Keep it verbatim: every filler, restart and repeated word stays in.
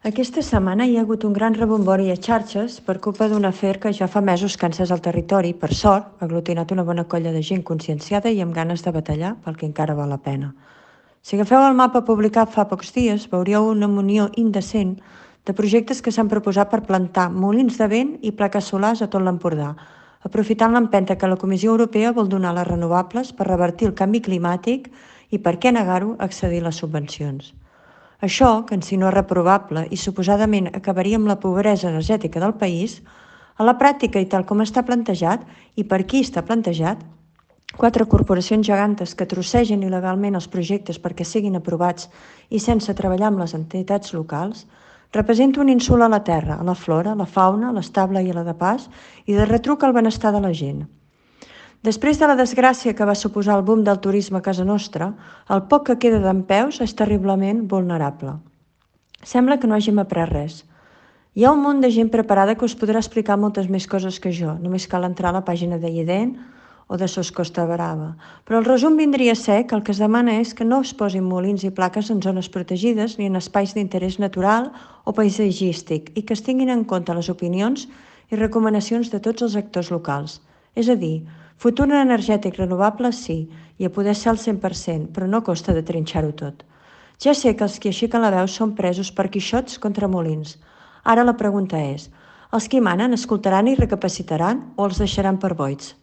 Aquesta setmana hi ha hagut un gran rebombori a xarxes per culpa d'un afer que ja fa mesos que ha encès al territori, per sort, ha aglutinat una bona colla de gent conscienciada i amb ganes de batallar pel que encara val la pena. Si agafeu el mapa publicat fa pocs dies, veuríeu una munió indecent de projectes que s'han proposat per plantar molins de vent i plaques solars a tot l'Empordà, aprofitant l'empenta que la Comissió Europea vol donar a les renovables per revertir el canvi climàtic i, per què negar-ho, accedir a les subvencions. Això, que en si no és reprovable i suposadament acabaria amb la pobresa energètica del país, a la pràctica i tal com està plantejat, i per qui està plantejat, quatre corporacions gegantes que trossegen il·legalment els projectes perquè siguin aprovats i sense treballar amb les entitats locals, representa un insult a la terra, a la flora, a la fauna, a l'estable i a la de pas, i de retruc al benestar de la gent. Després de la desgràcia que va suposar el boom del turisme a casa nostra, el poc que queda dempeus és terriblement vulnerable. Sembla que no hàgim après res. Hi ha un munt de gent preparada que us podrà explicar moltes més coses que jo, només cal entrar a la pàgina de I E D E N o de Sos Costa Brava. Però el resum vindria a ser que el que es demana és que no es posin molins i plaques en zones protegides ni en espais d'interès natural o paisatgístic i que es tinguin en compte les opinions i recomanacions de tots els actors locals. És a dir, futur energètic renovable sí, i a poder ser al cent per cent, però no costa de trinxar-ho tot. Ja sé que els qui aixequen la veu són presos per quixots contra molins. Ara la pregunta és, els qui manen escoltaran i recapacitaran o els deixaran per boigs?